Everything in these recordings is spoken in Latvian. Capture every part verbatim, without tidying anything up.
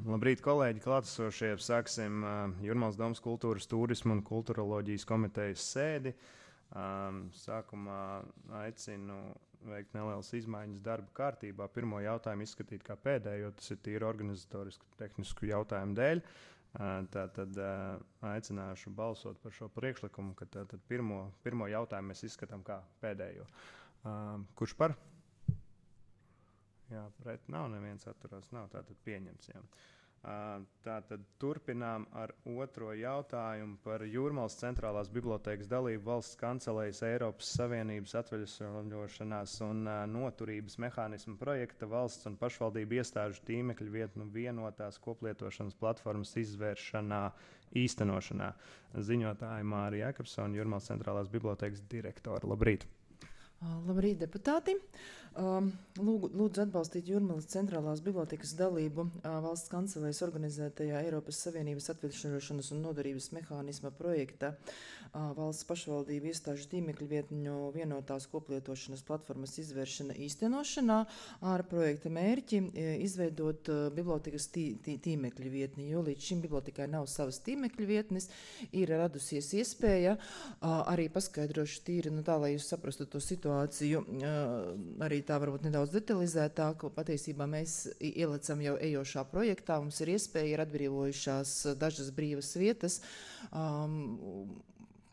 Labrīt, kolēģi, klātesošie. Sāksim uh, Jūrmālas domas kultūras, turisma un kultūroloģijas komitejas sēdi. Um, sākumā aicinu veikt nelielas izmaiņas darba kārtībā. Pirmo jautājumu izskatīt kā pēdējo, tas ir tīri organizatorisku tehnisku jautājumu dēļ. Uh, tātad uh, aicināšu balsot par šo priekšlikumu, ka tātad pirmo, pirmo jautājumu mēs izskatām kā pēdējo. Uh, kurš par? Jā, pret nav, neviens atturās nav, tātad pieņemts. Jā. Uh, tātad turpinām ar otro jautājumu par Jūrmālas centrālās bibliotēkas dalību valsts kancelējas Eiropas Savienības atveļošanās un uh, noturības mehānismu projekta valsts un pašvaldību iestāžu tīmekļu vietnu vienotās koplietošanas platformas izvēršanā, īstenošanā. Ziņotāja Mārija Jakobsone, Jūrmālas centrālās bibliotēkas direktora. Labrīt! Labrīt, deputāti! Lūgu, lūdzu atbalstīt Jūrmālas centrālās bibliotēkas dalību valsts kancelējas organizētajā Eiropas Savienības atveļošanas un noturības mehānisma projekta valsts pašvaldību iestāžu tīmekļu vietņu vienotās koplietošanas platformas izvēršana īstenošanā ar projekta mērķi izveidot bibliotēkas tī, tī, tīmekļu vietni, jo līdz šim bibliotekai nav savas tīmekļu vietnes, ir radusies iespēja arī paskaidrošu tīri, nu tā, lai jūs saprastu to situāciju, arī tā varbūt nedaudz detalizētāk. Patiesībā mēs ielecam jau ejošā projektā, mums ir iespēja, ir atbrīvojušās dažas brīvas vietas. Um,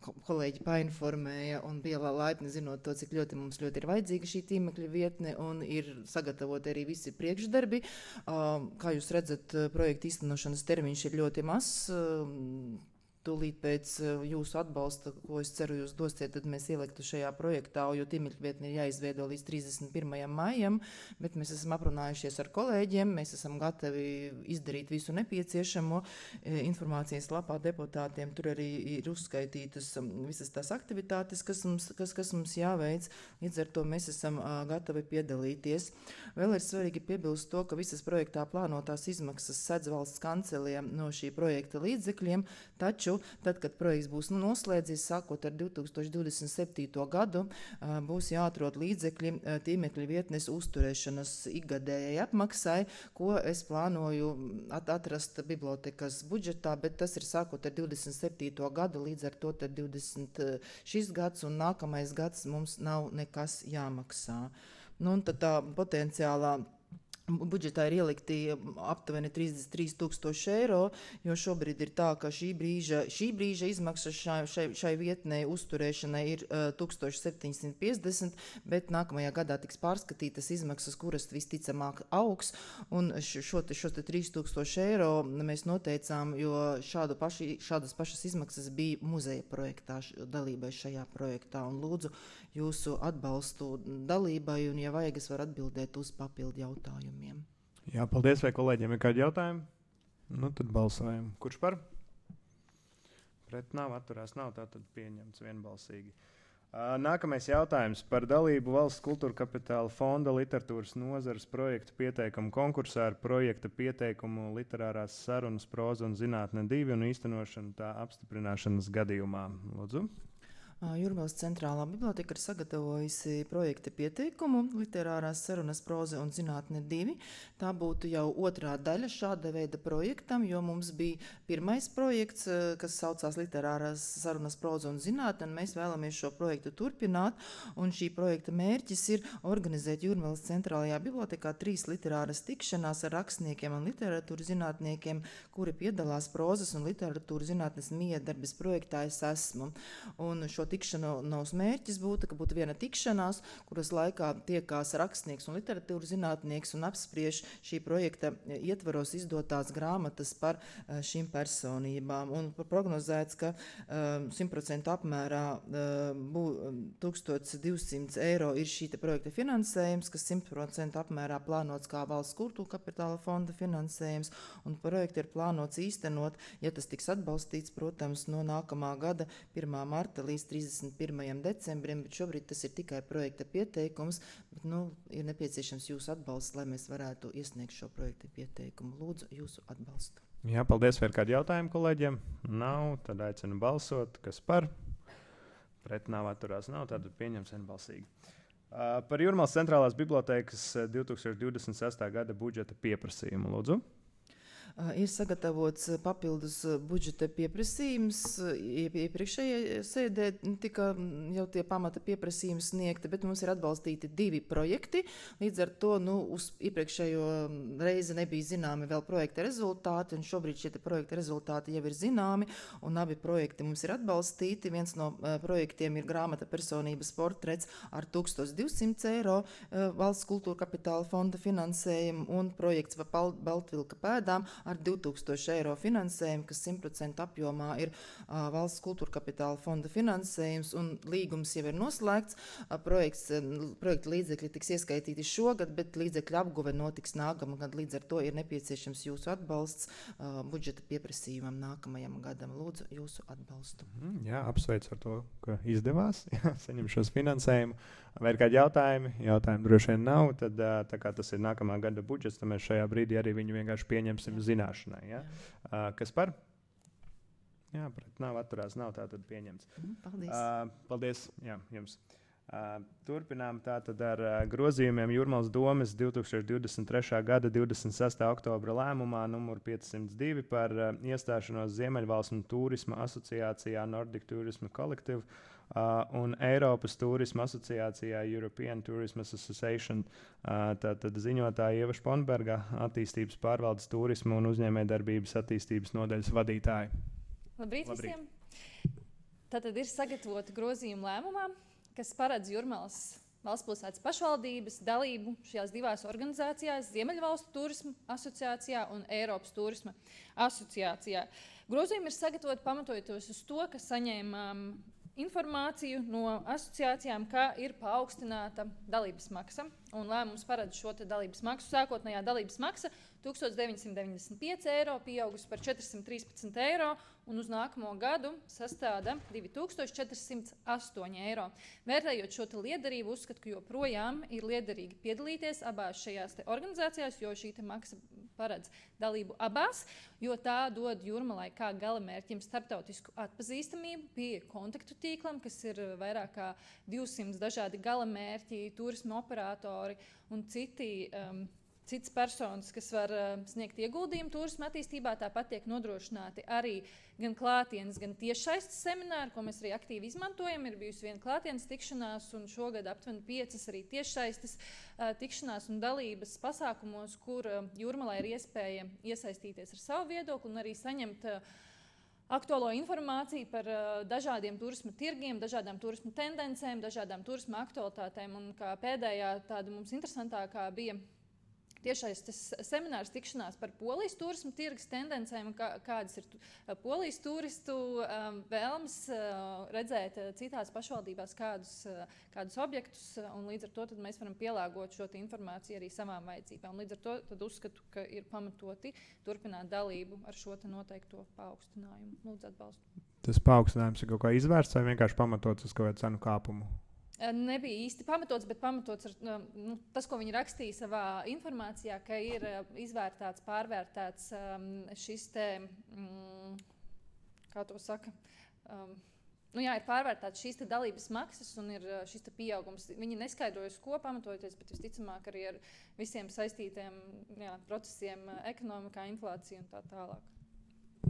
kolēģi painformēja un bija laipni zinot to, cik ļoti mums ļoti ir vajadzīga šī tīmekļa vietne un ir sagatavoti arī visi priekšdarbi. Um, kā jūs redzat, projekta īstenošanas termiņš ir ļoti mazs. Um, Tūlīt pēc jūsu atbalsta, ko es ceru jūs dosiet, tad mēs ieliktu šajā projektā, jo tīmekļa vietne ir jāizveido līdz trīsdesmit pirmajam maijam, bet mēs esam aprunājušies ar kolēģiem, mēs esam gatavi izdarīt visu nepieciešamo. Informācijas lapā deputātiem tur arī ir uzskaitītas visas tās aktivitātes, kas mums, kas, kas mums jāveic, līdz ar to mēs esam gatavi piedalīties. Vēl ir svarīgi piebilst to, ka visas projektā plānotās izmaksas sedz valsts kancelē no šī projekta līdzekļiem, taču tad, kad projekts būs noslēdzies, sākot ar divi tūkstoši divdesmit septīto gadu, būs jāatrod līdzekļi tīmekļa vietnes uzturēšanas ikgadējai apmaksai, ko es plānoju atrast bibliotekas budžetā, bet tas ir sākot ar divdesmit septīto gadu, līdz ar to tad divdesmit šis gads un nākamais gads mums nav nekas jāmaksā. Nu, un tad tā potenciālā budžetā ir ielikti aptuveni trīsdesmit trīs tūkstoši eiro, jo šobrīd ir tā, ka šī brīža, šī brīža izmaksas šai, šai, šai vietnei uzturēšanai ir uh, tisíc septiņsimt piecdesmit, bet nākamajā gadā tiks pārskatītas izmaksas, kuras visticamāk augs, un šo te, šo te trīs tūkstoši eiro mēs noteicām, jo šādu paši, šādas pašas izmaksas bija muzeja projektā, dalībai šajā projektā, un lūdzu jūsu atbalstu dalībai, un ja vajag, es varu atbildēt uz papildu jautājumu. Jā, paldies, vai kolēģiem ir kādi jautājumi? Nu, tad balsojam. Kurš par? Pret nav, atturās nav, tātad pieņemts vienbalsīgi. Uh, nākamais jautājums par dalību valsts kultūra kapitāla fonda literatūras nozares projektu pieteikumu konkursā ar projekta pieteikumu literārās sarunas proza un zinātne divi un īstenošanu tā apstiprināšanas gadījumā. Lūdzu. Jūrmālas centrālā biblioteka ir sagatavojusi projekta pieteikumu literārās sarunas proza un zinātne divi. Tā būtu jau otrā daļa šāda veida projektam, jo mums bija pirmais projekts, kas saucās literārās sarunas proza un zinātne, un mēs vēlamies šo projektu turpināt, un šī projekta mērķis ir organizēt Jūrmālas centrālajā bibliotekā trīs literāras tikšanās ar rakstniekiem un literatūras zinātniekiem, kuri piedalās prozas un literatūras zinātnes miedarbības projektā Es esmu. Un šo tikšanās mērķis būtu, ka būtu viena tikšanās, kuras laikā tiekās rakstnieks un literatūras zinātnieks un apspriež šī projekta ietvaros izdotās grāmatas par šīm personībām. Un prognozēts, ka simt procentu apmērā bū, tūkstoš divsimt eiro ir šī projekta finansējums, kas simt procentu apmērā plānots kā valsts kultūra kapitāla fonda finansējums, un projektu ir plānots īstenot, ja tas tiks atbalstīts, protams, no nākamā gada pirmā marta līdz trīsdesmit pirmajam decembrim, bet šobrīd tas ir tikai projekta pieteikums, bet nu, ir nepieciešams jūsu atbalsts, lai mēs varētu iesniegt šo projekta pieteikumu. Lūdzu jūsu atbalstu. Jā, paldies. Vai ir kādi jautājumi kolēģiem? Nav, tad aicinu balsot. Kas par? Pret nav, atturās nav, tad pieņems vienbalsīgi. Uh, par Jūrmālas centrālās bibliotēkas divi tūkstoši divdesmit sestā gada budžeta pieprasījumu, lūdzu. Ir sagatavots papildus budžeta pieprasījums. Iepriekšējā sēdē tika jau tie pamata pieprasījumi sniegti, bet mums ir atbalstīti divi projekti. Līdz ar to nu, uz iepriekšējo reizi nebija zināmi vēl projekta rezultāti, un šobrīd šie projekta rezultāti jau ir zināmi, un abi projekti mums ir atbalstīti. Viens no uh, projektiem ir grāmata personības portrets ar tūkstoš divsimt eiro uh, valsts kultūra kapitāla fonda finansējumu, un projekts par Baltvilka pēdām ar divtūkstoši eiro finansējumu, kas simt procentu apjomā ir uh, valsts kultūra kapitāla fonda finansējums, un līgums jau ir noslēgts. Uh, projekts, uh, projekta līdzekļi tiks ieskaitīti šogad, bet līdzekļu apguve notiks nākamgad. Līdz ar to ir nepieciešams jūsu atbalsts uh, budžeta pieprasījumam nākamajam gadam. Lūdzu jūsu atbalstu. Mm, jā, apsveicu ar to, ka izdevās jā, saņemt šos finansējumu. Vai ir kādi jautājumi? Jautājumi droši vien nav. Tad, tā kā tas ir nākamā gada budžets, tad mēs šajā brīdī arī viņu vienkārši pieņemsim jā. Zināšanai. Ja? Jā. Kas par? Jā, pret nav atturās, nav tātad pieņemts. Mm, paldies. Uh, paldies jā, jums. Uh, turpinām tātad ar uh, grozījumiem Jūrmalas domes divtūkstoš divdesmit trešā gada divdesmit sestā oktobra lēmumā numur piecsimt divi par uh, iestāšanos Ziemeļvalstu turisma asociācijā Nordic Tourism Collective uh, un Eiropas turisma asociācijā European Tourism Association. Uh, tātad ziņotāja Ieva Šponberga, attīstības pārvaldes turisma un uzņēmējdarbības attīstības nodaļas vadītāja. Labrīt, Labrīt visiem! Tātad ir sagatavoti grozījumi lēmumā, kas paredz Jūrmalas valstspilsētas pašvaldības dalību šajās divās organizācijās, Ziemeļvalstu turisma asociācijā un Eiropas turisma asociācijā. Grozījumi ir sagatavoti pamatojoties uz to, ka saņēmām informāciju no asociācijām, ka ir paaugstināta dalības maksa, un lēmums paredz šo dalības maksu. Sākotnējā dalības maksa tūkstoš deviņsimt deviņdesmit pieci eiro, pieaugusi par četrsimt trīspadsmit eiro, un uz nākamo gadu sastāda divi tūkstoši četri simti astoņi eiro. Vērtējot šo liederību, uzskatu, ka joprojām ir liederīgi piedalīties abās šajās organizācijās, jo šī maksa paredz dalību abās, jo tā dod Jūrmalai kā galamērķim starptautisku atpazīstamību, pie kontaktu tīklam, kas ir vairāk kā divsimt dažādi galamērķi, turisma operatori un citi um, Cits personas, kas var uh, sniegt ieguldījumu turisma attīstībā. Tāpat tiek nodrošināti arī gan klātienes, gan tiešsaistes semināri, ko mēs arī aktīvi izmantojam. Ir bijusi viena klātienes tikšanās, un šogad aptuveni piecas arī tiešsaistes uh, tikšanās un dalības pasākumos, kur uh, Jūrmalai ir iespēja iesaistīties ar savu viedokli un arī saņemt uh, aktuālo informāciju par uh, dažādiem turisma tirgiem, dažādām turisma tendencēm, dažādām turisma aktualitātēm. Un kā pēdējā tāda mums interesantākā bija tiešais tas seminārs tikšanās par Polijas turismu tirgus tendencēm, kā, kādas ir Polijas turistu um, vēlmes uh, redzēt uh, citās pašvaldībās kādus, uh, kādus objektus, uh, un līdz ar to tad mēs varam pielāgot šo informāciju arī savām vajadzībām. Līdz ar to tad uzskatu, ka ir pamatoti turpināt dalību ar šo noteikto paaugstinājumu. Lūdzu atbalstu. Tas paaugstinājums ir kaut kā izvērsts vai vienkārši pamatots uz kaut kādu cenu kāpumu? Nebija īsti pamatots, bet pamatots ar nu, tas, ko viņi rakstīja savā informācijā, ka ir izvērtāts, pārvērtāts um, šis te, um, kā to saka, um, nu jā, ir pārvērtāts šīs te dalības maksas un ir šis te pieaugums. Viņi neskaidrojas, ko pamatojoties, bet visticamāk arī ar visiem saistītiem jā, procesiem ekonomikā, inflācija un tā tālāk.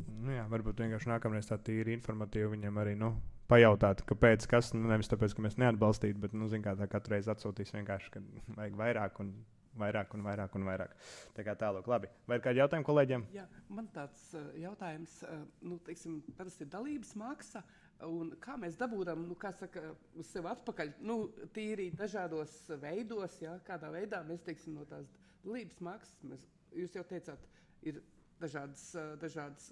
Nu jā, varbūt vienkārši nākamreiz tā tīri informatīvi viņam arī, nu, pajautāt, kāpēc, kas, nu, nevis tāpēc, ka mēs neatbalstītu, bet, nu, zin kā, tā katru reizi atsūtīs vienkārši, ka vajag vairāk un vairāk un vairāk un vairāk. Tā kā tālāk, labi. Vai ir kādi jautājumi kolēģiem? Jā, man tāds uh, jautājums, uh, nu, teiksim, parasti ir dalības maksa, un kā mēs dabūdam, nu, kā saka, uz sevi atpakaļ, nu, tīri dažādos veidos, jā, kādā veidā mēs, teiksim, no tās dalības maksas, mēs, jūs jau teicāt, ir dažādas, dažādas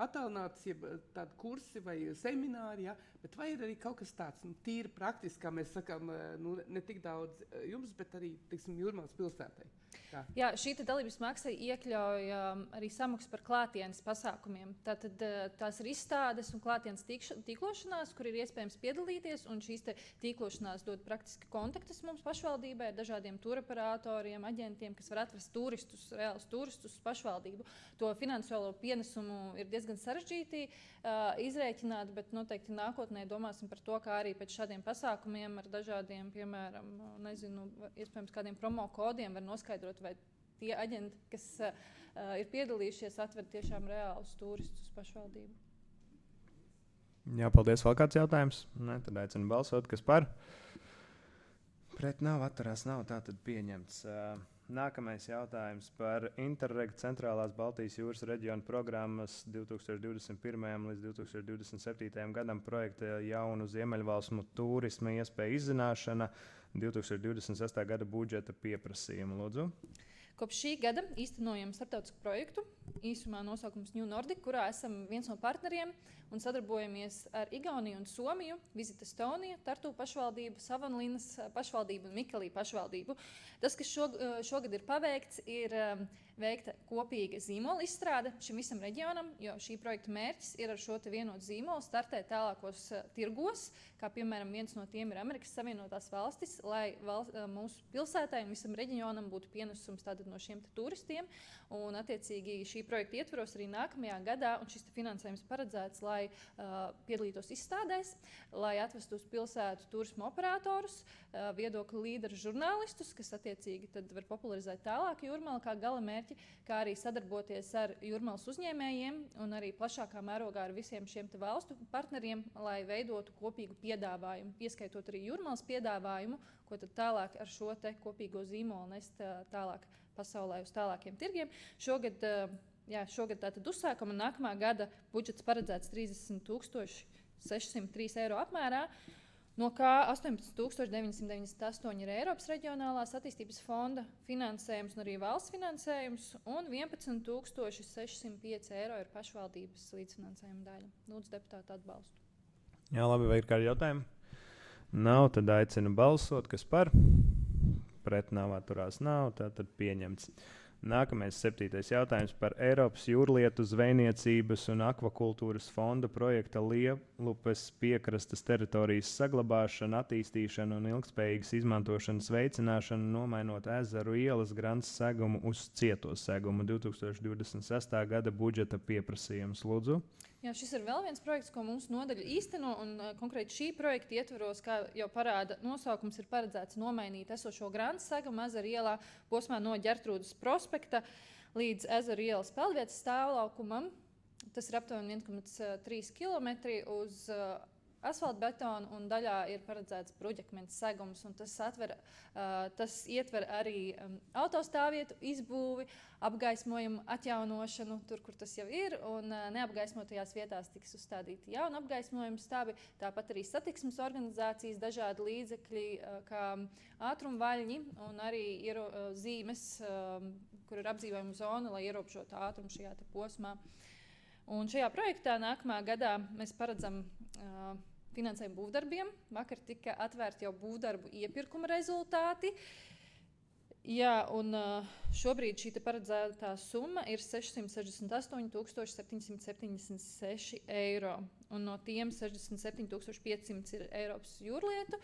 attālinātas, jeb tādi kursi vai semināri, ja? Bet vai ir arī kaut kas tāds, nu, tīri praktiski, kā mēs sakām, nu, ne tik daudz jums, bet arī, teiksim, Jūrmalas pilsētai? Tā. Jā, šī dalības maksa iekļauj um, arī samaksu par klātienes pasākumiem. Tātad uh, tās ir izstādes un klātienes tīkš, tīklošanās, kur ir iespējams piedalīties, un šīs tīklošanās dod praktiski kontaktus mums pašvaldībai ar dažādiem turoperatoriem, aģentiem, kas var atrast turistus, reālus turistus uz pašvaldību. To finansiālo pienesumu ir diezgan sarežģīti uh, izrēķināt, bet noteikti nākotnē domāsim par to, kā arī pēc šādiem pasākumiem ar dažādiem, piemēram, nezinu, iespējams kādiem promo kodiem var noskaidrot, vai tie aģenti, kas uh, ir piedalījušies, atved tiešām reālus turistus uz pašvaldību. Jā, paldies. Vēl kāds jautājums? Nē, tad aicinu balsot, kas par. Pret nav, atturās nav, tā tad pieņemts. Uh, Nākamais jautājums par Interreg centrālās Baltijas jūras reģiona programmas divtūkstoš divdesmit pirmajam līdz divtūkstoš divdesmit septītajam gadam projekta jaunu Ziemeļvalstu turisma iespēju izzināšana divtūkstoš divdesmit sestā gada budžeta pieprasījumu. Lūdzu. Kopš šī gada īstenojam starptautisku projektu, īsumā nosaukums New Nordic, kurā esam viens no partneriem un sadarbojamies ar Igauniju un Somiju, Visit Estonia, Tartu pašvaldību, Savonlinnas pašvaldību un Mikelī pašvaldību. Tas, kas šog, šogad ir paveikts, ir um, veikta kopīga zīmola izstrāde šim visam reģionam, jo šī projekta mērķis ir ar šo te vienotu zīmolu startēt tālākos uh, tirgos, kā piemēram viens no tiem ir Amerikas Savienotās valstis, lai val, uh, mūsu pilsētai un visam reģionam būtu pienesums tātad no šiem turistiem. Un, attiecīgi, šī projekta ietvaros arī nākamajā gadā, un šis finansējums paredzēts, lai uh, piedalītos izstādēs, lai atvestu uz pilsētu turismu operatorus, uh, viedokļu līderu žurnālistus, kas attiecīgi tad var popularizēt tālāk Jūrmalu kā gala mērķi, kā arī sadarboties ar Jūrmalas uzņēmējiem un arī plašākā mērogā ar visiem šiem te valstu partneriem, lai veidotu kopīgu piedāvājumu, ieskaitot arī Jūrmalas piedāvājumu, ko tad tālāk ar šo te kopīgo zīmolu nest uh, tālāk pasaulē uz tālākiem tirgiem. Šogad, jā, šogad tātad uzsākam un nākamā gada budžets paredzēts trīsdesmit tūkstoši sešsimt trīs eiro apmērā, no kā astoņpadsmit tūkstoši deviņsimt deviņdesmit astoņi ir Eiropas reģionālās attīstības fonda finansējums un arī valsts finansējums, un vienpadsmit tūkstoši sešsimt pieci eiro ir pašvaldības līdzfinansējuma daļa. Lūdzu, deputātu atbalstu. Jā, labi, vai ir kādi jautājumi? Nav, tad aicinu balsot, kas par. Pret nav, atturās nav, tātad pieņemts. Nākamais septītais jautājums par Eiropas jūrlietu, zvejniecības un akvakultūras fonda projekta Lielupes piekrastes teritorijas saglabāšanu, attīstīšanu un ilgspējīgas izmantošanas veicināšanu, nomainot ezeru ielas grants segumu uz cieto segumu divtūkstoš divdesmit sestā gada budžeta pieprasījums. Lūdzu. Jā, šis ir vēl viens projekts, ko mūsu nodaļa īsteno, un uh, konkrēti šī projekta ietvaros, kā jau parāda nosaukums, ir paredzēts nomainīt esošo grantu segumu ezeru ielā posmā no Ģertrūdas prospekta līdz ezeru ielas peldvietas stāvlaukumam. Tas ir aptuveni viens komats trīs kilometri uz uh, asfaltbetonu, un daļā ir paredzēts bruģakmens segums, un tas, atver, uh, tas ietver arī um, autostāvvietu izbūvi, apgaismojumu atjaunošanu tur, kur tas jau ir, un uh, neapgaismotajās vietās tiks uzstādīti jauni apgaismojumu stābi, tāpat arī satiksmes organizācijas, dažādi līdzekļi, uh, kā ātrumvaļņi un arī ir, uh, zīmes, uh, kur ir apdzīvojuma zona, lai ierobežotu ātrumu šajā te posmā. Un šajā projektā nākamā gadā mēs paredzam uh, finansējumu būvdarbiem. Vakar tika atvērti jau būvdarbu iepirkuma rezultāti. Jā, un uh, šobrīd šī paredzētā summa ir sešsimt sešdesmit astoņi tūkstoši septiņsimt septiņdesmit seši eiro. Un no tiem sešdesmit septiņi tūkstoši piecsimt ir Eiropas jūrlietu.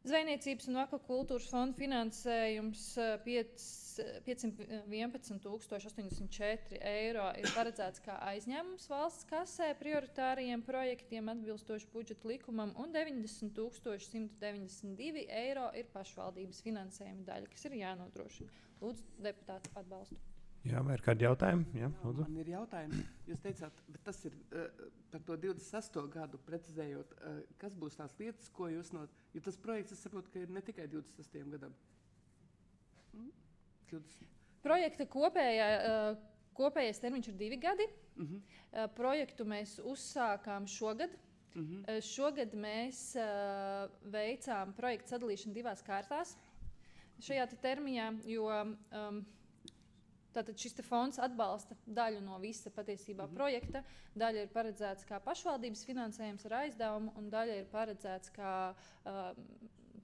Zvejniecības un akvakultūras fonda finansējums piecsimt vienpadsmit tūkstoši astoņdesmit četri eiro ir paredzēts kā aizņēmums valsts kasē prioritāriem projektiem atbilstoši budžeta likumam, un deviņdesmit tūkstoši simt deviņdesmit divi eiro ir pašvaldības finansējuma daļa, kas ir jānodrošina. Lūdzu, deputātu atbalstu. Jā, vai ir kādi jautājumi? Jā, lūdzu. Man ir jautājums. Jūs teicāt, bet tas ir uh, par to divdesmit sesto gadu precizējot, uh, kas būs tās lietas, ko jūs no... Jo tas projekts, es saprotu, ka ir ne tikai divdesmit sestajam gadam. Mm? divdesmit Projekta kopējā, uh, kopējais termiņš ir divi gadi. Uh-huh. Uh, projektu mēs uzsākām šogad. Uh-huh. Uh, šogad mēs uh, veicām projektu sadalīšanu divās kārtās šajā te termiņā, jo... Um, Tātad šis fonds atbalsta daļu no visa patiesībā mm-hmm. projekta. Daļa ir paredzēts kā pašvaldības finansējums ar aizdevumu, un daļa ir paredzēts kā uh,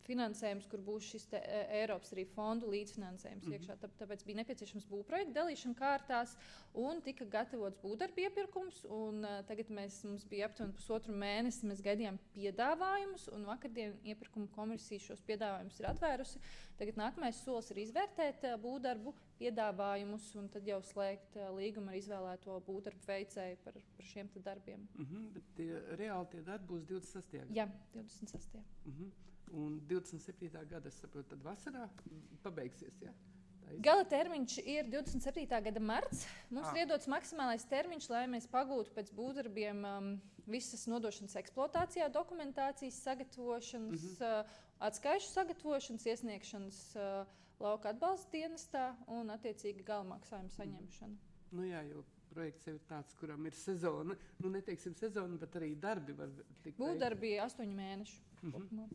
finansējums, kur būs šis te, e, Eiropas arī fondu līdzfinansējums mm-hmm. iekšā. Tā, tāpēc bija nepieciešams būvprojektu dalīšana kārtās, un tika gatavots būvdarbu iepirkums. Un, uh, tagad mēs, mums bija aptuveni pusotru mēnesi, mēs gaidījām piedāvājumus, un vakardien iepirkuma komisija šos piedāvājumus ir atvērusi. Tagad nākamais solis ir izvērtēt uh, būvdarbu piedāvājumus un tad jau slēgt uh, līgumu ar izvēlēto būvdarbu veicēju par, par šiem te darbiem. Uh-huh, bet tie, reāli tie darbi būs divdesmit sestajā gadā? Jā, divdesmit sestajā Uh-huh. Un divdesmit septītā gada, es saprotu, tad vasarā pabeigsies, jā? tā Gala termiņš ir divdesmit septītā gada marts. Mums Ah. ir iedots maksimālais termiņš, lai mēs pagūtu pēc būvdarbiem um, visas nodošanas eksploatācijā, dokumentācijas sagatavošanas, mm -hmm. uh, atskaišu sagatavošanas, iesniegšanas uh, lauka atbalsta dienestā un attiecīgi gala maksājumu saņemšana. Nu jā, jo projekts jau ir tāds, kuram ir sezona. Nu, neteiksim sezona, bet arī darbi var tikt. Būvdarbi ir astoņi mēneši. Mhm. kopumā.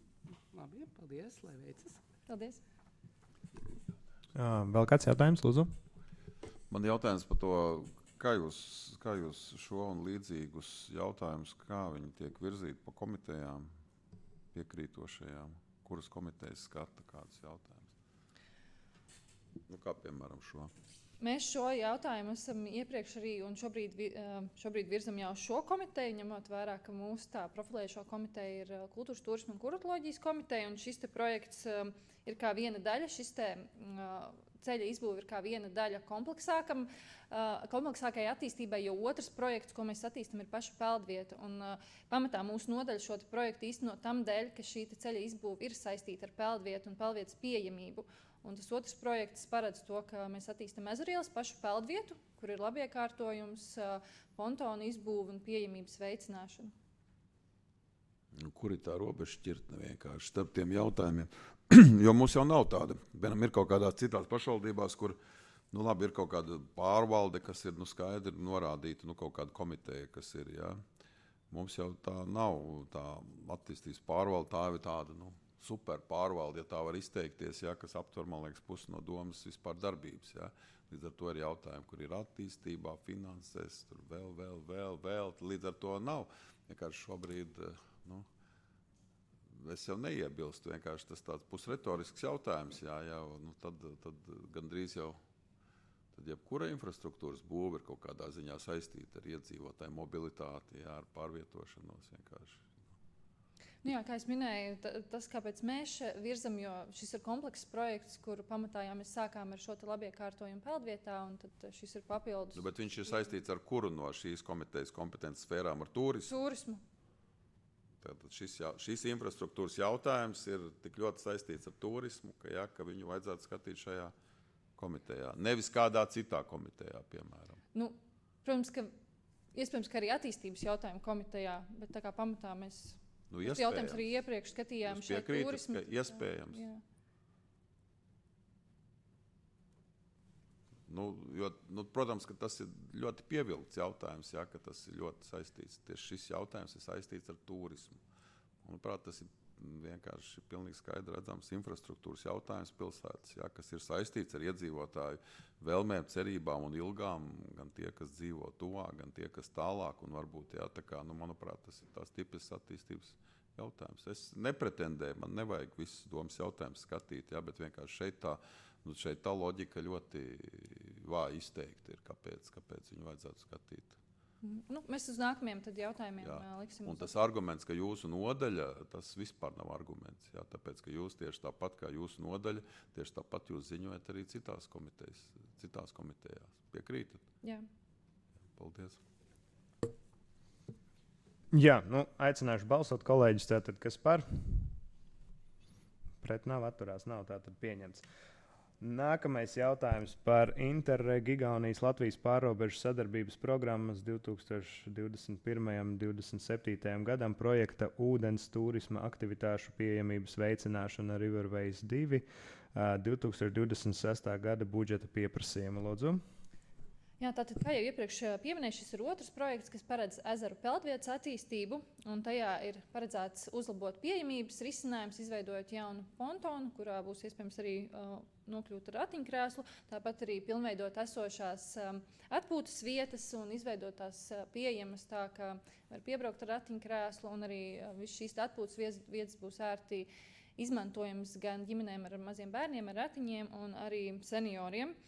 Labi, paldies, lai veicas. Paldies. Uh, vēl kāds jautājums, lūdzu? Man jautājums par to, kā jūs, kā jūs šo un līdzīgus jautājumus, kā viņi tiek virzīti pa komitejām, piekrītošajām, kuras komitejas skata kādus jautājumus? Nu, kā piemēram šo? Mēs šo jautājumu esam iepriekš arī un šobrīd, vi- eh, šobrīd virzam jau šo komiteju, ņemot vērā, ka mūsu tā profilējošo komiteja ir eh, Kultūras, turisma un kuratoloģijas komiteja, un šis te projekts eh, ir kā viena daļa, šis te mm, ceļa izbūve ir kā viena daļa kompleksākam, uh, kompleksākai attīstībai, jo otrs projekts, ko mēs attīstam, ir paša peldvieta. Un, uh, pamatā mūsu nodaļa šo projektu īstenot tam dēļ, ka šī ceļa izbūve ir saistīta ar peldvietu un peldvietas pieejamību. Un tas otrs projekts paredz to, ka mēs attīstam Ezerielas pašu peldvietu, kur ir labiekārtojums, uh, pontonu izbūve un pieejamības veicināšana. Nu, kur ir tā robeža šķirtne vienkārši starp tiem jautājumiem? Jo mums jau nav tāda. Vienam ir kaut kādās citās pašvaldībās, kur nu, labi, ir kaut kāda pārvalde, kas ir nu, skaidri norādīta, nu, kaut kāda komiteja, kas ir. Ja? Mums jau tā nav tā attīstības pārvalde, tā ir tāda nu, super pārvalde, ja tā var izteikties, ja, kas aptver, man liekas, pusi no domas vispār darbības. Ja? Līdz ar to ir jautājumi, kur ir attīstībā, finansēs, tur vēl, vēl, vēl, vēl. Līdz ar to nav. Vienkārši šobrīd, nu, es jau neiebilstu, vienkārši tas tāds pusretorisks jautājums, jā, jā, nu tad, tad gandrīz jau, tad jebkura infrastruktūras būve ir kaut kādā ziņā saistīta ar iedzīvotāju mobilitāti, jā, ar pārvietošanos vienkārši. Nu jā, kā es minēju, tas, kāpēc mēs virzam, jo šis ir komplekss projekts, kur pamatā jau mēs sākām ar šo labiekārtojumu peldvietā, un tad šis ir papildus. Nu, bet viņš ir saistīts ar kuru no šīs komitejas kompetences sfērām, ar turismu? Turismu. Tātad šis, jā, šis infrastruktūras jautājums ir tik ļoti saistīts ar turismu, ka, jā, ka viņu vajadzētu skatīt šajā komitejā. Nevis kādā citā komitejā, piemēram. Nu, protams, ka iespējams, ka arī attīstības jautājumu komitejā, bet tā kā pamatā mēs Nu, tas jautājums arī iepriekš skatījām Jūs šeit piekrītat, turismu. ka iespējams? Jā. Nu, jo, nu, protams, ka tas ir ļoti pievilkts jautājums, jā, ka tas ir ļoti saistīts. Tieši šis jautājums ir saistīts ar turismu. Manuprāt, tas ir vienkārši pilnīgi skaidri redzams infrastruktūras jautājums pilsētas, jā, kas ir saistīts ar iedzīvotāju vēlmēm, cerībām un ilgām, gan tie, kas dzīvo tuvāk, gan tie, kas tālāk, un varbūt, jā, tā kā, nu, manuprāt, tas ir tās tipisks attīstības jautājums. Es nepretendēju, man nevajag visus domas jautājumus skatīt, jā, bet vienkārši šeit tā, nu, šeit tā loģika ļoti vāji izteikti ir, kāpēc, kāpēc viņu vajadzētu skatīt. Nu, mēs uz nākamajiem tad jautājumiem Jā. jā. liksim. Un tas arguments, ka jūsu nodaļa, tas vispār nav arguments. Jā, tāpēc, ka jūs tieši tāpat kā jūsu nodaļa, tieši tāpat jūs ziņojat arī citās komitejas, citās komitejās. Piekrītat? Jā. Paldies. Jā, nu, aicināšu balsot kolēģis, tātad, kas par? Pret nav atturās, nav tātad pieņemts. Nākamais jautājums par Interreg Igaunijas Latvijas pārrobežu sadarbības programmas divtūkstoš divdesmit pirmais un divdesmit septītais gadam projekta ūdens turisma aktivitāšu pieejamības veicināšana Riverways divi uh, divtūkstoš divdesmit sestā gada budžeta pieprasījuma. Lūdzu. Jā, tātad, kā jau iepriekš pieminēju, šis ir otrs projekts, kas paredz ezeru peldvietas attīstību, un tajā ir paredzēts uzlabot pieejamības risinājums, izveidojot jaunu pontonu, kurā būs iespējams arī uh, nokļūt ar ratiņkrēslu, tāpat arī pilnveidot esošās um, atpūtas vietas un izveidot tās uh, pieejamas tā, ka var piebraukt ar ratiņkrēslu, un arī uh, viss šīs atpūtas vietas būs ērti izmantojams gan ģimenēm ar maziem bērniem, ar ratiņiem un arī senioriem.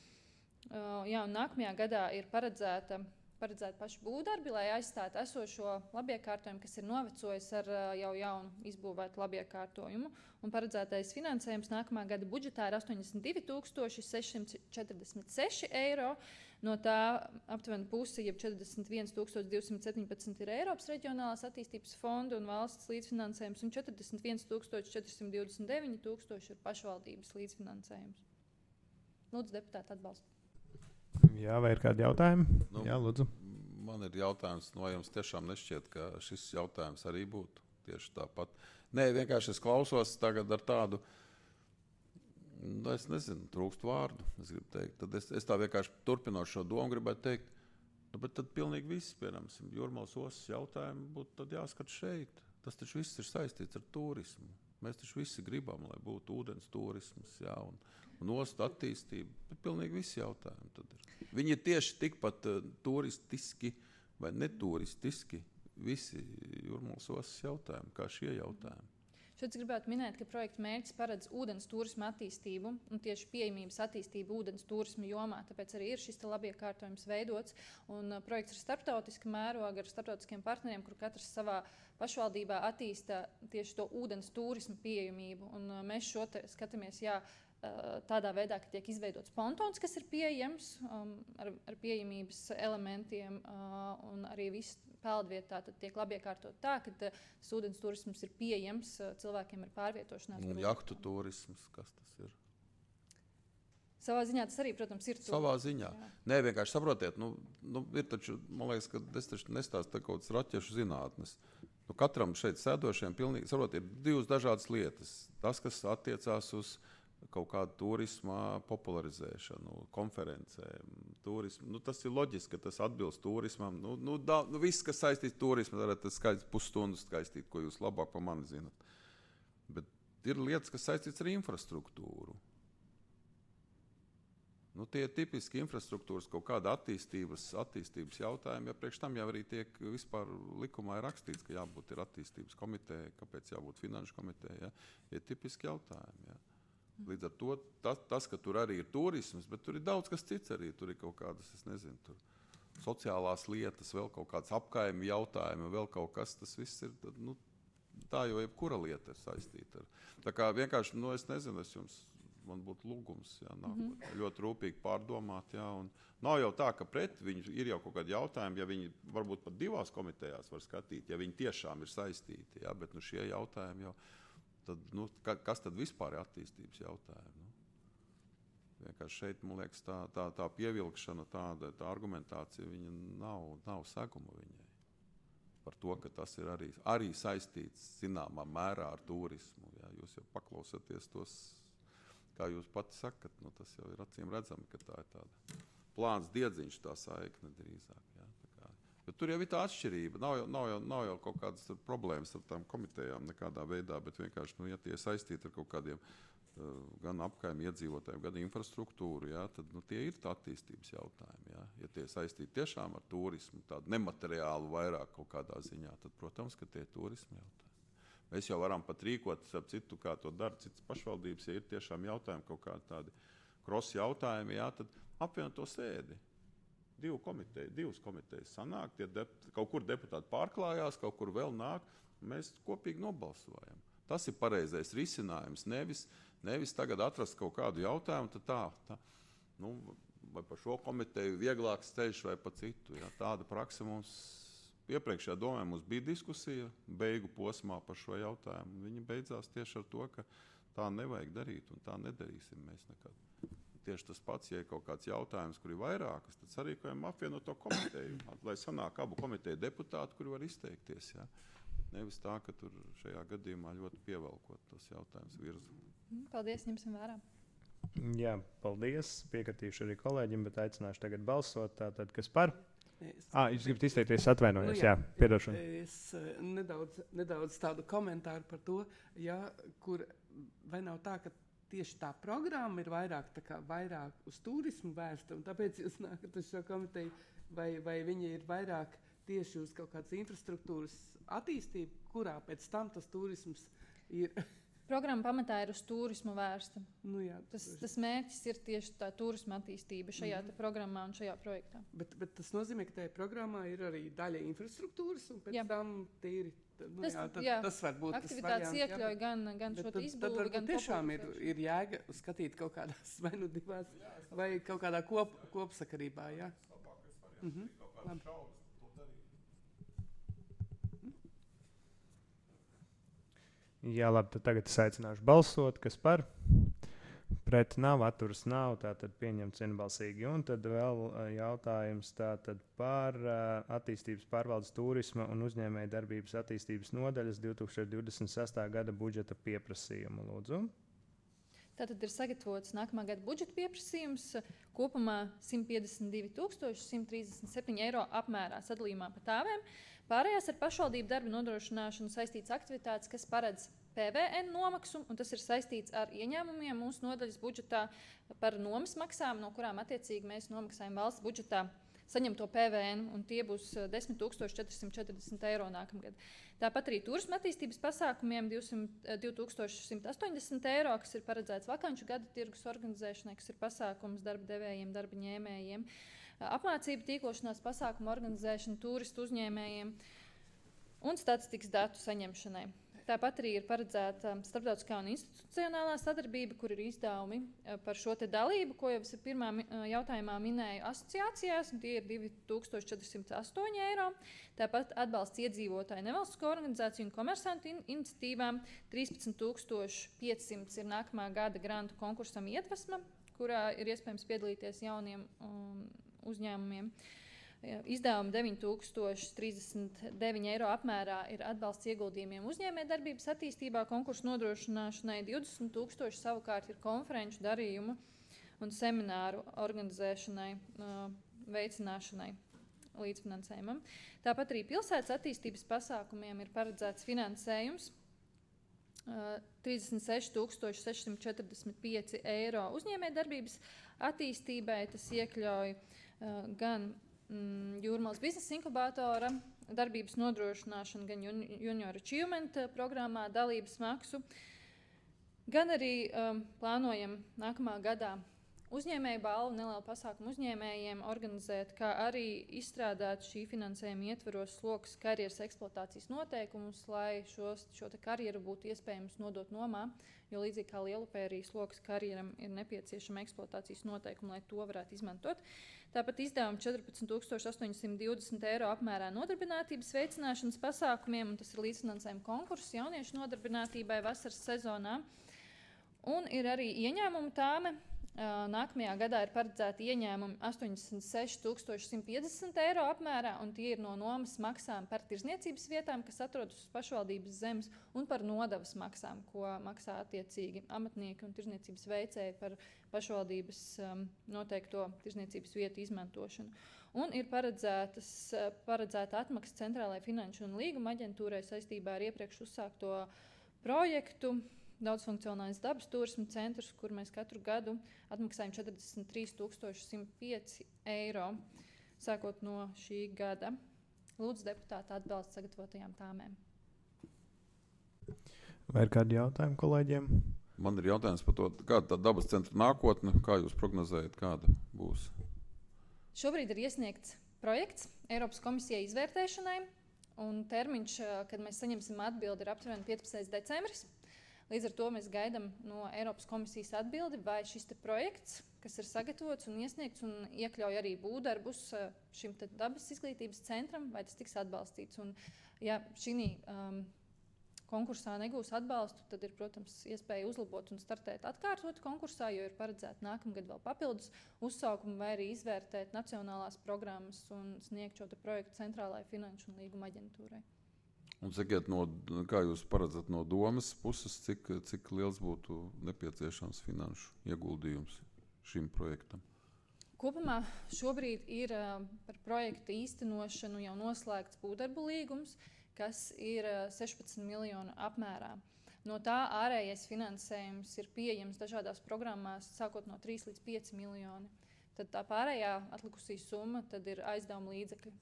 Uh, jā, un nākamajā gadā ir paredzēta, paredzēta paša būvdarbi, lai aizstātu esošo labiekārtojumu, kas ir novecojis ar uh, jau jaunu izbūvētu labiekārtojumu. Un paredzētais finansējums nākamā gada budžetā ir astoņdesmit divi tūkstoši seši simti četrdesmit seši eiro. No tā aptuveni pusi, jeb četrdesmit viens tūkstoši divsimt septiņpadsmit ir Eiropas reģionālās attīstības fonda un valsts līdzfinansējums, un četrdesmit viens tūkstoši četri simti divdesmit deviņi tūkstoši ir pašvaldības līdzfinansējums. Lūdzu, deputāti, atbalstu. Jā, vai ir kādi jautājumi? Nu, Jā, lūdzu. Man ir jautājums, no jums tiešām nešķiet, ka šis jautājums arī būtu tieši tāpat. Nē, vienkārši es klausos tagad ar tādu, nu, es nezinu, trūkst vārdu, es gribu teikt. Tad es, es tā vienkārši turpinot šo domu gribētu teikt, nu, bet tad pilnīgi viss, piemēram, Jūrmalas ostas jautājumi būtu tad jāskat šeit. Tas taču viss ir saistīts ar turismu. Mēs taču visi gribam, lai būtu ūdens turisms, jā, un, un ostu attīstība. Bet pilnīgi visi jautājumi tad ir. Viņi ir tieši tikpat uh, turistiski vai neturistiski visi Jūrmalas ostas jautājumi, kā šie jautājumi. Šeit gribētu minēt, ka projekta mērķis paredz ūdens turisma attīstību un tieši pieejamības attīstību ūdens turisma jomā. Tāpēc arī ir šis labiekārtojums veidots. Un, uh, projekts ir starptautiska mēroga ar starptautiskiem partneriem, kur katrs savā pašvaldībā attīsta tieši to ūdens turisma pieejamību. Un, uh, mēs šo te skatāmies, jā, tādā veidā, ka tiek izveidots pontons, kas ir pieejams um, ar, ar pieejamības elementiem, uh, un arī viss peldvietā tiek labi iekārtot tā, ka uh, ūdens turisms ir pieejams, uh, cilvēkiem ir pārvietošanās. Un jahtu turisms, kas tas ir? Savā ziņā tas arī, protams, ir. Savā ziņā. Jā. Nē, vienkārši saprotiet, nu, nu, ir taču, man liekas, ka es taču nestāstu kaut kādas raķešu zinātnes. Nu, katram šeit sēdošiem pilnīgi, saprotiet, ir divas dažādas lietas. Tas, kas attiecās uz kaut kādu turisma popularizēšanu, konferencēm, turismu. Nu, tas ir loģiski, ka tas atbilst turismam. Nu, nu, da, nu, viss, kas saistīts turismu, tad tas skaidrs pusstundu skaistīt, ko jūs labāk par mani zinat. Bet ir lietas, kas saistīts ar infrastruktūru. Nu, tie ir tipiski infrastruktūras kaut kāda attīstības, attīstības jautājumi, ja priekš tam jau arī tiek vispār likumā ir rakstīts, ka jābūt ir attīstības komiteja, kāpēc jābūt finanšu komiteja, ja? Ir tipiski jautājumi, ja? Līdz ar to tas, tas, ka tur arī ir turisms, bet tur ir daudz kas cits arī. Tur ir kaut kādas, es nezinu, tur sociālās lietas, vēl kaut kāds apkaimi jautājumi, vēl kaut kas, tas viss ir, nu, tā jau jebkura lieta ir saistīta ar. Tā kā vienkārši, nu, es nezinu, es jums, man būtu lūgums, jā, nāk, mm-hmm. ļoti rūpīgi pārdomāt, jā, un nav jau tā, ka pret viņu ir jau kaut kādi jautājumi, ja viņi varbūt pat divās komitejās var skatīt, ja viņi tiešām ir saistīti, jā, bet nu šie jautājumi jau, tad, nu, kas tad vispār ir attīstības jautājumi? Nu? Vienkārši šeit, man liekas, tā, tā, tā pievilkšana, tāda tā argumentācija, viņa nav, nav seguma viņai. Par to, ka tas ir arī, arī saistīts zināmā mērā ar turismu. Jā. Jūs jau paklausaties tos, kā jūs pati sakat, nu, tas jau ir acīm redzami, ka tā ir tāda plāns diedziņš, tā saikne drīzāk. Jā. Jo tur jau ir tā atšķirība. Nav jau, nav jau, nav jau kaut kādas problēmas ar tām komitejām nekādā veidā, bet vienkārši, nu, ja tie saistīti ar kaut kādiem uh, gan apkaimi iedzīvotājiem, gan infrastruktūru, jā, tad nu, tie ir tā attīstības jautājumi. Jā. Ja tie saistīti tiešām ar turismu, tādu nemateriālu vairāk kaut kādā ziņā, tad, protams, ka tie ir turismu jautājumi. Mēs jau varam pat rīkot ap citu, kā to dara citas pašvaldības, ja ir tiešām jautājumi kaut kādi tādi cross jautājumi, jā, tad apvienot to sēdi. Divu komiteju, divas komitejas sanāk, tie dep, kaut kur deputāti pārklājās, kaut kur vēl nāk, mēs kopīgi nobalsojam. Tas ir pareizais risinājums, nevis, nevis tagad atrast kaut kādu jautājumu, tad tā, tā, nu, vai par šo komiteju vieglāks ceļš vai pa citu. Ja, tāda praksa mums, iepriekšējā domē mums bija diskusija beigu posmā par šo jautājumu. Viņa beidzās tieši ar to, ka tā nevajag darīt un tā nedarīsim mēs nekad. Tieši tas pats, ja ir kaut kāds jautājums, kur ir vairākas, tad sarīkojam apvienot to komiteju, lai sanāk abu komiteju deputāti, kuri var izteikties. Ja? Nevis tā, ka tur šajā gadījumā ļoti pievelkot tos jautājumus virzu. Paldies, ņemsim vērā. Jā, paldies. Piekritīšu arī kolēģim, bet aicināšu tagad balsot. Tātad, kas par? Es, ah, jūs gribat izteikties, atvainojos, nu, jā, jā, piedošanu. Es nedaudz, nedaudz tādu komentāru par to, ja, kur vai nav tā, ka tieši tā programma ir vairāk, tā kā, vairāk uz turismu vērsta, un tāpēc jūs nākat uz šo komiteju, vai, vai viņi ir vairāk tieši uz kaut kādas infrastruktūras attīstību, kurā pēc tam tas turisms ir. Programma pamatā ir uz turismu vērsta. Nu jā, tas, tas mērķis ir tieši tā turisma attīstība šajā mm-hmm. programmā un šajā projektā. Bet, bet tas nozīmē, ka tajā programmā ir arī daļa infrastruktūras, un pēc jā. Tam tīri. Nu, tas, jā, tad, jā. tas var būt aktivitātes tas variants, iekļauj gan, gan šo izbūvi, gan tiešām ir, ir jēga skatīt kaut kādās vai nu divās, vai kaut kādā kop, kopsakarībā. Jā. Mhm. Labi. Jā, labi, tad tagad es aicināšu balsot, kas par, Pret nav, atturas nav, tātad pieņemts vienbalsīgi. Un tad vēl uh, jautājums tātad par uh, attīstības pārvaldes turisma un uzņēmēja darbības attīstības nodaļas divs tūkstoši divdesmit sestā gada budžeta pieprasījumu. Lūdzu. Tātad ir sagatavots nākamā gada budžeta pieprasījums kopumā simt piecdesmit divi tūkstoši simt trīsdesmit septiņi eiro apmērā sadalījumā pa tāvēm. Pārējās ar pašvaldību darba nodrošināšanu saistītas aktivitātes, kas paredz P V N nomaksu, un tas ir saistīts ar ieņēmumiem mūsu nodaļas budžetā par nomas maksām, no kurām attiecīgi mēs nomaksājam valsts budžetā saņemto P V N, un tie būs desmit tūkstoši četri simti četrdesmit eiro nākamgad. Tāpat arī turisma attīstības pasākumiem divi tūkstoši simt astoņdesmit eiro, kas ir paredzēts vakanču gada tirgus organizēšanai, kas ir pasākums darba devējiem, darba ņēmējiem, apmācību tīklošanās pasākumu organizēšana turistu uzņēmējiem un statistikas datu saņemšanai. Tāpat arī ir paredzēta starptautiskā un institucionālā sadarbība, kur ir izdevumi par šo te dalību, ko jau es pirmā jautājumā minēju asociācijās, un tie ir divi tūkstoši četri simti astoņi eiro. Tāpat atbalsts iedzīvotāju nevalstisko organizāciju un komersantu in iniciatīvām trīspadsmit tūkstoši pieci simti ir nākamā gada grantu konkursam Iedvesma, kurā ir iespējams piedalīties jauniem um, uzņēmumiem. Izdevumi deviņi tūkstoši trīsdesmit deviņi eiro apmērā ir atbalsts ieguldījumiem uzņēmējdarbības attīstībā, konkursu nodrošināšanai, divdesmit tūkstoši savukārt ir konferenču darījumu un semināru organizēšanai, veicināšanai līdzfinansējumam. Tāpat arī pilsētas attīstības pasākumiem ir paredzēts finansējums trīsdesmit seši tūkstoši seši simti četrdesmit pieci eiro uzņēmējdarbības attīstībai. Tas iekļauj gan Jūrmālas biznesa inkubātora darbības nodrošināšanu, gan Junior Achievement programmā dalības maksu, gan arī um, plānojam nākamā gadā uzņēmēju balvu nelielu pasākumu uzņēmējiem organizēt, kā arī izstrādāt šī finansējuma ietveros slokas karjeras eksploatācijas noteikumus, lai šos, šo te karjeru būtu iespējams nodot nomā, jo līdzīgi kā Lielupē arī slokas karjeram ir nepieciešama eksploatācijas noteikuma, lai to varētu izmantot. Tāpat izdevumi četrpadsmit tūkstoši astoņi simti divdesmit eiro apmērā nodarbinātības veicināšanas pasākumiem, un tas ir līdzfinansējuma konkurss jauniešu nodarbinātībai vasaras sezonā. Un ir arī ieņēmumu tāme. Nākamajā gadā ir paredzēti ieņēmumi astoņdesmit seši tūkstoši simt piecdesmit eiro apmērā, un tie ir no nomas maksām par tirzniecības vietām, kas atrodas uz pašvaldības zemes, un par nodevas maksām, ko maksā attiecīgi amatnieki un tirzniecības veicēji par pašvaldības um, noteikto tirzniecības vietu izmantošanu. Un ir paredzētas, paredzēta atmaksa Centrālajai finanšu un līguma aģentūrai saistībā ar iepriekš uzsākto projektu Daudzfunkcionālais dabas turisma centrs, kur mēs katru gadu atmaksājam četrdesmit trīs tūkstoši simt pieci eiro, sākot no šī gada. Lūdzu deputāta atbalstu sagatavotajām tāmēm. Vai ir kādi jautājumi kolēģiem? Man ir jautājums par to, kāda tā dabas centra nākotne, kā jūs prognozējat, kāda būs? Šobrīd ir iesniegts projekts Eiropas komisijai izvērtēšanai, un termiņš, kad mēs saņemsim atbildi, ir aptuveni piecpadsmitais decembris. Līdz ar to mēs gaidām no Eiropas komisijas atbildi, vai šis te projekts, kas ir sagatavots un iesniegts un iekļauj arī būvdarbus šim te dabas izglītības centram, vai tas tiks atbalstīts. Un, ja šī um, konkursā negūs atbalstu, tad ir, protams, iespēja uzlabot un startēt atkārtot konkursā, jo ir paredzēta nākamgad vēl papildus uzsaukumu vai arī izvērtēt nacionālās programmas un sniegt šo te projektu Centrālajai finanšu un līguma aģentūrai. Un sakiet, no, kā jūs paredzat no domas puses, cik, cik liels būtu nepieciešams finanšu ieguldījums šim projektam? Kopumā šobrīd ir uh, par projektu īstenošanu jau noslēgts būvdarbu līgums, kas ir uh, sešpadsmit miljonu apmērā. No tā ārējais finansējums ir pieejams dažādās programmās, sākot no trīs līdz pieci miljoni. Tad tā pārējā atlikusī summa tad ir aizdevuma līdzekļi.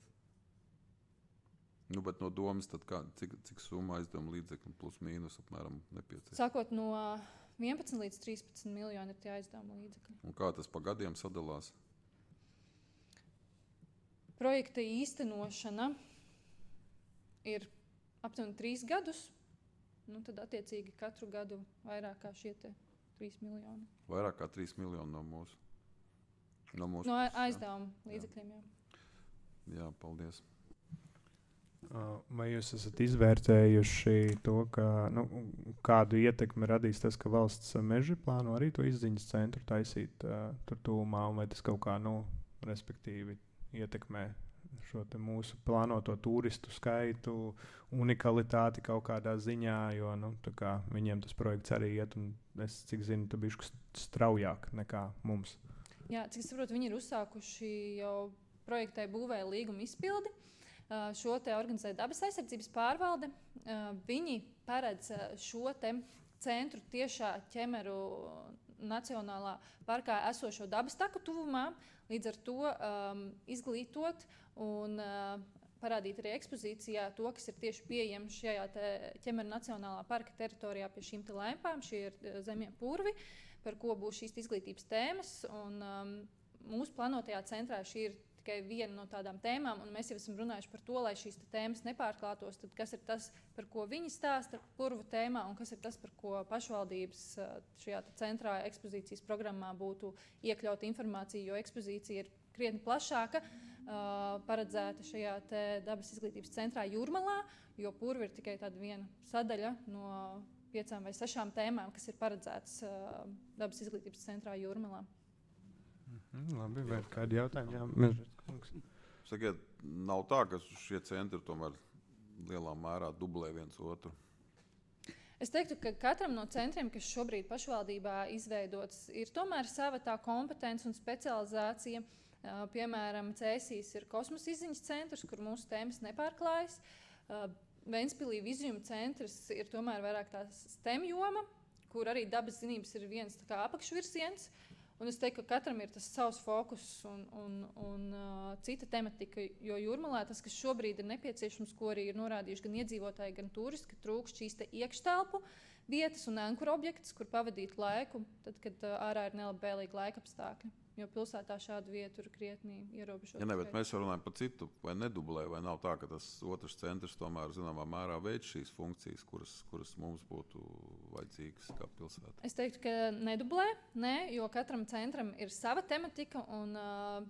Nu, bet no domas, tad kā, cik, cik summa aizdevuma līdzekļi plus mīnus apmēram nepieciešams? Sākot no vienpadsmit līdz trīspadsmit miljoni ir tie aizdevuma līdzekļi. Un kā tas pa gadiem sadalās? Projekta īstenošana ir aptuveni trīs gadus, nu tad attiecīgi katru gadu vairāk kā šie te trīs miljoni. Vairāk kā trīs miljoni no mūsu? No, mūsu no puses, aizdevuma līdzekļiem, jā. Jā, paldies. Vai jūs esat izvērtējuši to, ka, nu, kādu ietekmi radīs tas, ka valsts meži plāno arī to izziņas centru taisīt uh, tur tūmā, un vai tas kaut kā, nu, respektīvi ietekmē šo te mūsu plānoto turistu skaitu, unikalitāti kaut kādā ziņā, jo, nu, tā kā viņiem tas projekts arī iet, un es, cik zinu, tā bišķi straujāk nekā mums. Jā, cik es saprotu, viņi ir uzsākuši jau projektai būvēja līguma izpildi. Uh, šo te organizē dabas aizsardzības pārvalde. Uh, viņi paredz uh, šo te centru tiešā ķemeru nacionālā parkā esošo dabas taku tuvumā, līdz ar to um, izglītot un uh, parādīt arī ekspozīcijā to, kas ir tieši pieejams šajā ķemeru nacionālā parka teritorijā pie šīm te lēmpām. Šie ir uh, zemie purvi, par ko būs šīs izglītības tēmas. Un, um, mūsu plānotajā centrā šī ir tikai viena no tādām tēmām, un mēs jau esam runājuši par to, lai šīs tēmas nepārklātos, tad kas ir tas, par ko viņi stāsta purvu tēmā, un kas ir tas, par ko pašvaldības šajā centrā ekspozīcijas programmā būtu iekļauta informācija, jo ekspozīcija ir krietni plašāka, uh, paredzēta šajā te dabas izglītības centrā Jūrmalā, jo purvi ir tikai tāda viena sadaļa no piecām vai sešām tēmām, kas ir paredzētas uh, dabas izglītības centrā Jūrmalā. Mm, labi, vai kādi jautājumi? Jā, Mežģerts kungs. Sakiet, nav tā, ka šie centri tomēr lielā mērā dublē viens otru? Es teiktu, ka katram no centriem, kas šobrīd pašvaldībā izveidots, ir tomēr sava tā kompetence un specializācija. Uh, piemēram, Cēsīs ir kosmosa izziņas centrs, kur mūsu tēmas nepārklājas. Uh, Ventspilī vizijuma centrs ir tomēr vairāk tā STEM joma, kur arī dabas zinības ir viens tā kā apakšvirziens. Un es teiktu, ka katram ir tas savs fokus un, un, un uh, cita tematika, jo Jūrmalā tas, kas šobrīd ir nepieciešams, ko arī ir norādījuši gan iedzīvotāji, gan turisti, ka trūkst šīs te iekštelpu vietas un ankuru objekts, kur pavadīt laiku, tad, kad uh, ārā ir nelabvēlīgi laika apstākļi. Jo pilsētā šādu vietu ir krietni ierobežota. Ja ne, bet mēs runājam par citu, vai nedublē, vai nav tā, ka tas otrs centrs tomēr zināmā mērā veids šīs funkcijas, kuras, kuras mums būtu vajadzīgas kā pilsētā? Es teiktu, ka nedublē, ne, jo katram centram ir sava tematika un uh,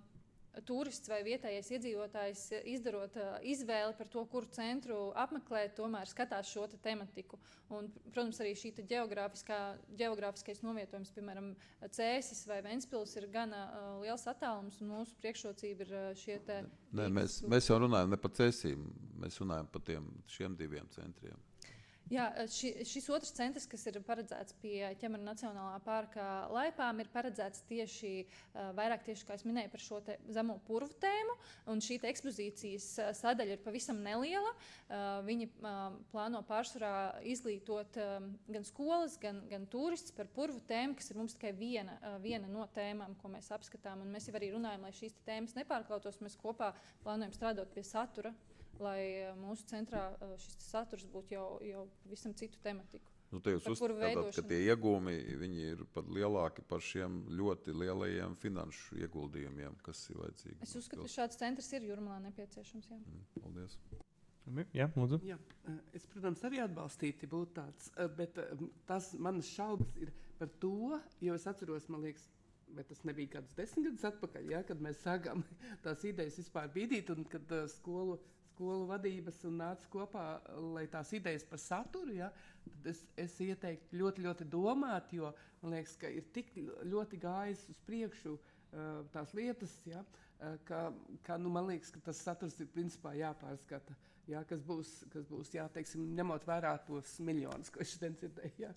turists vai vietējais iedzīvotājs izdarot uh, izvēli par to, kuru centru apmeklēt, tomēr skatās šo te tematiku. Un, protams, arī šī te geogrāfiskais novietojums, piemēram, Cēsis vai Ventspils ir gana uh, liels attālums, un mūsu priekšrocība ir uh, šie te... Nē, mēs, mēs jau runājam ne par Cēsīm, mēs runājam par tiem, šiem diviem centriem. Jā, ši, šis otrs centrs, kas ir paredzēts pie ķemeru nacionālā parka laipām, ir paredzēts tieši, vairāk tieši, kā es minēju, par šo te zemo purvu tēmu, un šī te ekspozīcijas sadaļa ir pavisam neliela. Viņi plāno pārsvarā izglītot gan skolas, gan, gan turistus par purvu tēmu, kas ir mums tikai viena, viena no tēmām, ko mēs apskatām, un mēs jau arī runājam, lai šīs tēmas nepārklautos, mēs kopā plānojam strādāt pie satura, lai mūsu centrā šis saturs būtu jau, jau visam citu tematiku. Nu, te jūs uzskatāt, ka tie iegūmi viņi ir pat lielāki par šiem ļoti lielajiem finanšu ieguldījumiem, kas ir vajadzīgi? Es uzskatu, ka šāds centrs ir Jūrmalā nepieciešams. Jā. Mm, paldies. Jā, lūdzu. Jā, es, protams, arī atbalstīti būtu tāds, bet tas manas šaubas ir par to, jo es atceros, man liekas, bet tas nebija kāds desmit gadus atpakaļ, ja, kad mēs sākām tās idejas vispār bīdīt un kad uh, skolu skolu vadības un nāca kopā, lai tās idejas par saturu, ja, tad es, es ieteiktu ļoti, ļoti domāt, jo man liekas, ka ir tik ļoti gājis uz priekšu uh, tās lietas, ja, uh, ka, ka nu, man liekas, ka tas saturs ir principā jāpārskata, ja, kas būs, kas būs jā, teiksim, ņemot vērā tos miljonus, ko šodien dzirdēju. Ja.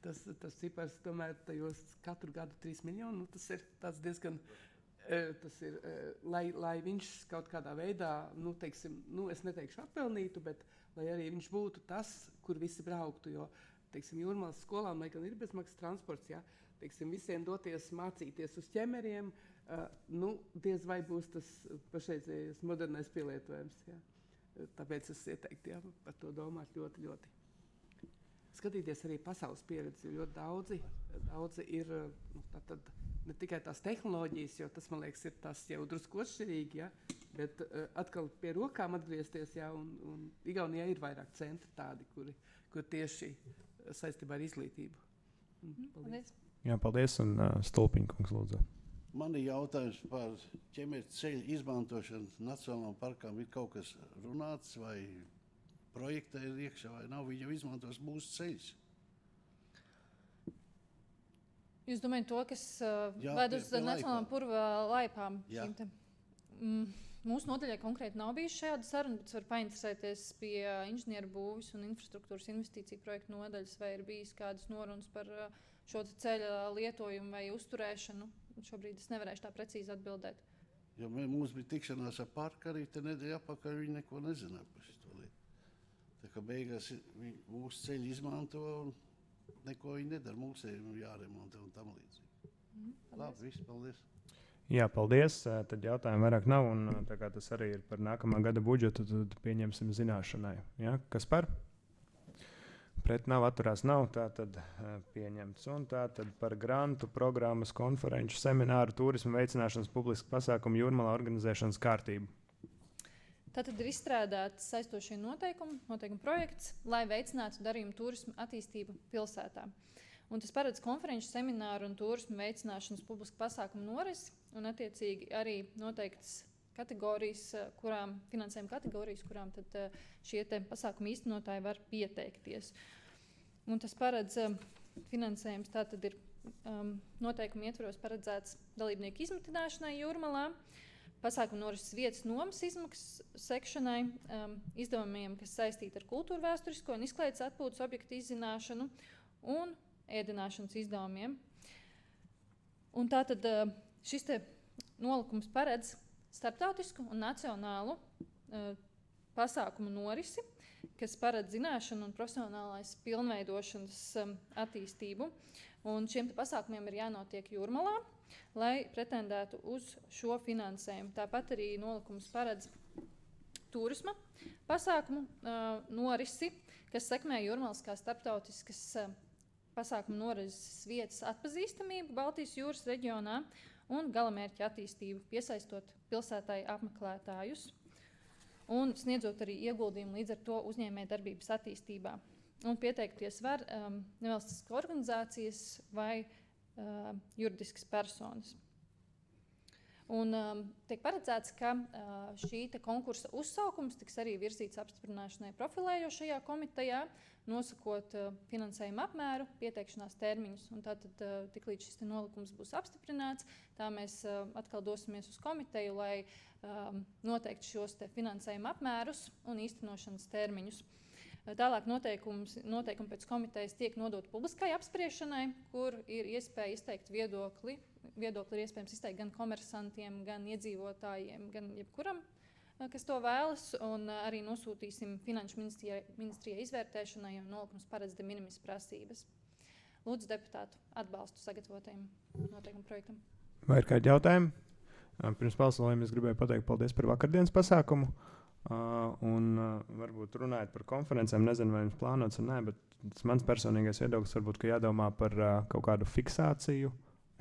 Tas, tas cipars tomēr tajos katru gadu trīs miljoni, nu, tas ir tāds diezgan... Tas ir, lai, lai viņš kaut kādā veidā, nu, teiksim, nu, es neteikšu atpelnītu, bet lai arī viņš būtu tas, kur visi brauktu, jo, teiksim, Jūrmalas skolām, lai gan ir bezmaksas transports, ja, teiksim, visiem doties mācīties uz ķemeriem, uh, nu, diez vai būs tas pašreizējais modernais pielietojums, ja. Tāpēc es ieteiktu, ja, par to domāt ļoti, ļoti. Skatīties arī pasaules pieredzi, jo ļoti daudzi, daudzi ir, nu, tātad, ne tikai tās tehnoloģijas, jo tas, man liekas, ir tas jau drusku atšķirīgi, ja, bet uh, atkal pie rokām atgriezties, ja, un, un Igaunijā ir vairāk centri tādi, kuri, kur tieši saistībā ar izglītību. Mm, paldies. Jā, paldies, un uh, Stulpiņa kungs lūdzu. Man ir jautājums par ķemēta ceļu izmantošanu nacionālajām parkām. Ir kaut kas runāts vai projektā ir iekšā vai nav, viņi jau izmantos mūsu ceļus. Jūs domājat to, kas uh, Jā, ved pie- uz pie nacionālām laipām. purva laipām? Jā. šīm te? Mm, mūsu nodaļai konkrēti nav bijuši šāda saruna, bet var painteresēties pie inženieru būvis un infrastruktūras investīciju projektu nodaļas, vai ir bijis kādas norunas par uh, šo te ceļa lietojumu vai uzturēšanu. Šobrīd es nevarēšu tā precīzi atbildēt. Jo mē- mums bija tikšanās ar parku arī te nedēļa apakaļ, viņi neko nezināja par šo lietu. Tā kā beigās i- viņi mūsu ceļu izmanto un neko viņi nedara. Mums ir jāremontē un tam līdzīgi. Mhm, Labi, viss, paldies. Jā, paldies. Eh, Tad jautājumu vairāk nav. Un, eh, tā kā tas arī ir par nākamā gada budžetu, tad pieņemsim zināšanai. Ja? Kas par? Pret nav, atturās nav. Tā tad eh, pieņemts. Un tā tad par grantu, programmas, konferenču, semināru, turismu veicināšanas, publisku pasākumu jūrmalā organizēšanas kārtību. Tātad ir izstrādāts saistošie noteikumi, noteikuma projekts, lai veicinātu darījumu turismu attīstību pilsētā. Un tas paredz konferenču, semināru un turismu veicināšanas publisku pasākumu norisi un attiecīgi arī noteikts kategorijas, eh, kurām, finansējuma kategorijas, kurām tad eh, šie te pasākumu īstenotāji var pieteikties. Un tas paredz eh, finansējums, tātad ir um, noteikumi ietvaros paredzēts dalībnieku izmitināšanai jūrmalā, pasākumu norises vietas nomas izmaksas sekšanai, um, izdevumiem, kas saistīti ar kultūra vēsturisko un izklaides atpūtas objektu izzināšanu un ēdināšanas izdevumiem. Un tātad uh, šis te nolikums paredz starptautisku un nacionālu uh, pasākumu norisi, kas paredz zināšanu un profesionālais pilnveidošanas um, attīstību. Un šiem te pasākumiem ir jānotiek jūrmalā, lai pretendētu uz šo finansējumu. Tāpat arī nolikums paredz turisma pasākumu uh, norisi, kas sekmē jūrmalas kā starptautiskas uh, pasākumu norises vietas atpazīstamību Baltijas jūras reģionā un galamērķa attīstību, piesaistot pilsētai apmeklētājus un sniedzot arī ieguldījumu līdz ar to uzņēmēju darbības attīstībā. Un pieteikties var um, nevalstiskas organizācijas vai uh, juridiskas personas. Un um, tiek paredzēts, ka uh, šī te konkursa uzsaukums tiks arī virzīts apstiprināšanai profilējošajā komitejā, nosakot uh, finansējuma apmēru, pieteikšanās termiņus. Un tātad uh, tiklīdz šis te nolikums būs apstiprināts, tā mēs uh, atkal dosimies uz komiteju, lai um, noteikti šos te finansējuma apmērus un īstenošanas termiņus. Tālāk noteikums, noteikumi pēc komitejas tiek nodot publiskai apspriešanai, kur ir iespēja izteikt viedokli. Viedokli ir iespējams izteikt gan komersantiem, gan iedzīvotājiem, gan jebkuram, kas to vēlas. Un arī nosūtīsim Finanšu ministrijai, ministrijai izvērtēšanai, jo nolikums paredz de minimis prasības. Lūdzu deputātu atbalstu sagatavotajam noteikumu projektam. Vai ir kādi jautājumi? Uh, Pirms balsojuma es gribēju pateikt paldies par vakardienas pasākumu. Uh, un uh, varbūt runājot par konferencēm, nezinu, vai jums plānots vai nē, bet tas mans personīgais viedoklis varbūt, ka jādomā par uh, kaut kādu fiksāciju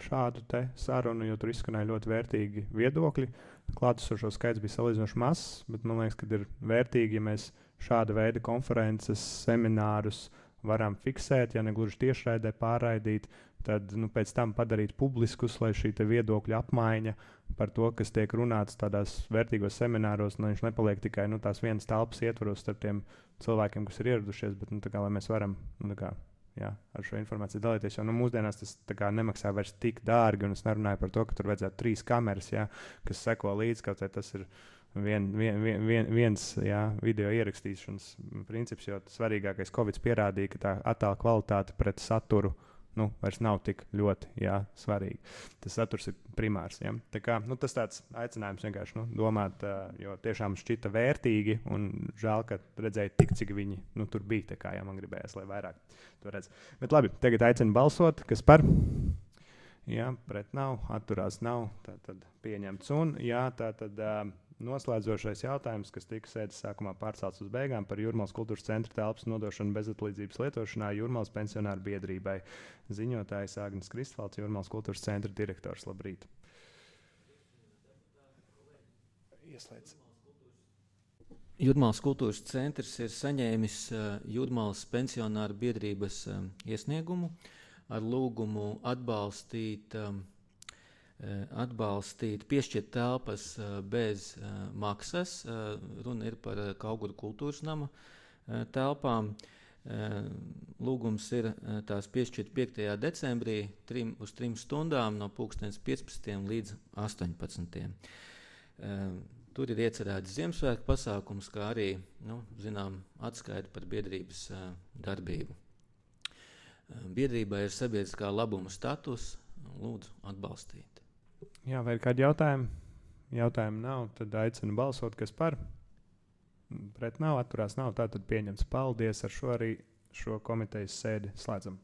šādu te sarunu, jo tur izskanēja ļoti vērtīgi viedokļi. Klātesošo skaits bija salīdzinoši mazs, bet man liekas, ka ir vērtīgi, ja mēs šāda veida konferences, seminārus varam fiksēt, ja ne gluži tiešraidē pārraidīt, tad nu, pēc tam padarīt publiskus, lai šī te viedokļa apmaiņa par to, kas tiek runāts tādās vērtīgos semināros, lai viņš nepaliek tikai nu, tās vienas telpas ietvaros starp tiem cilvēkiem, kas ir ieradušies, bet nu, tā kā, lai mēs varam nu, tā kā, jā, ar šo informāciju dalīties. Jo nu, mūsdienās tas tā kā, nemaksā vairs tik dārgi, un es nerunāju par to, ka tur vajadzētu trīs kameras, jā, kas seko līdzi, kaut vai tas ir vien, vien, vien, vien, viens jā, video ierakstīšanas princips, jo svarīgākais Covid pierādīja, ka tā attēla kvalitāte pret saturu nu, vairs nav tik ļoti jā, svarīgi. Tas saturs ir primārs. Ja? Tā kā, nu, tas tāds aicinājums vienkārši nu, domāt, uh, jo tiešām šķita vērtīgi un žēl, ka redzēju tik, cik viņi nu, tur bija. Tā kā jā, man gribējās, lai vairāk to redz. Bet labi, tagad aicinu balsot, kas par? Jā, pret nav, atturās nav, tā tad pieņemts. Un jā, tā tad uh, noslēdzošais jautājums, kas tika sēdes sākumā pārcelts uz beigām par Jūrmalas kultūras centra telpas nodošanu bezatlīdzības lietošanā Jūrmalas pensionāru biedrībai. Ziņotājs Agnes Kristvalds, Jūrmalas kultūras centra direktors. Labrīt. Ieslēdz. Jūrmalas kultūras centrs ir saņēmis uh, Jūrmalas pensionāru biedrības um, iesniegumu ar lūgumu atbalstīt um, atbalstīt, piešķirt telpas bez maksas. Runa ir par Kauguru kultūras nama telpām. Lūgums ir tās piešķirt piektajā decembrī trim, uz trim stundām no pulkstens piecpadsmitiem līdz astoņpadsmitiem. Tur ir iecerēts Ziemassvētku pasākums, kā arī, nu, zinām, atskaita par biedrības darbību. Biedrībai ir sabiedriskā labuma status, lūdzu atbalstīt. Jā, vai ir kādi jautājumi? Jautājumi nav, tad aicinu balsot, kas par. Pret nav, atturās nav, tātad pieņemts. Paldies, ar šo arī šo komitejas sēdi slēdzam.